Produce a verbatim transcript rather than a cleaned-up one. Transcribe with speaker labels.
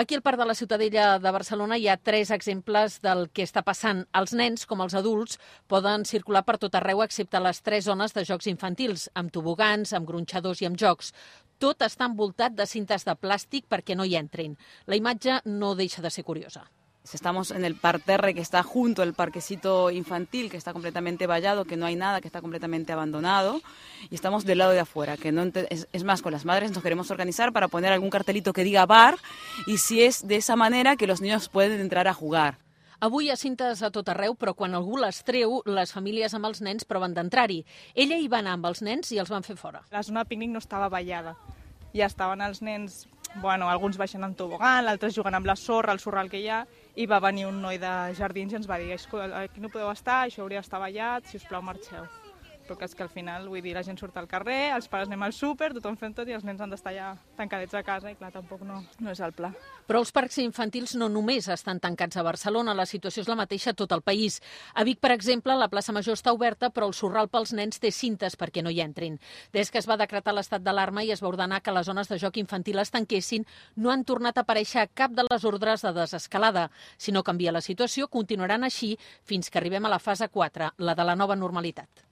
Speaker 1: Aquí al Parc de la Ciutadella de Barcelona hi ha tres exemples del que està passant. Els nens, com els adults, poden circular per tot arreu excepte les tres zones de jocs infantils, amb tobogans, amb gronxadors i amb jocs. Tot està envoltat de cintes de plàstic perquè no hi entrin. La imatge no deixa de ser curiosa.
Speaker 2: Estamos en el parterre que está junto al parquecito infantil, que está completamente vallado, que no hay nada, que está completamente abandonado, y estamos del lado de afuera, que no es, es más, con las madres nos queremos organizar para poner algún cartelito que diga bar, y si es de esa manera que los niños pueden entrar a jugar.
Speaker 1: Avui hi ha cintes a tot arreu, però quan algú les treu, les famílies amb els nens proven d'entrar-hi. Ella hi va anar amb els nens i els van fer fora.
Speaker 3: La zona de pícnic no estava vallada. Ja estaven els nens, bueno, alguns baixant en tobogan, altres jugant amb la sorra, el sorral que hi ha, i va venir un noi de jardins i ens va dir: aquí no podeu estar, això hauria d'estar vallat, si us plau marxeu. Però que és que al final, vull dir, la gent surt al carrer, els pares anem al súper, tothom fent tot i els nens han d'estar ja tancadets a casa i clar, tampoc no, no és el pla.
Speaker 1: Però els parcs infantils no només estan tancats a Barcelona, la situació és la mateixa a tot el país. A Vic, per exemple, la plaça Major està oberta, però el sorral pels nens té cintes perquè no hi entrin. Des que es va decretar l'estat d'alarma i es va ordenar que les zones de joc infantil es tanquessin, no han tornat a aparèixer cap de les ordres de desescalada. Si no canvia la situació, continuaran així fins que arribem a la fase quatre, la de la nova normalitat.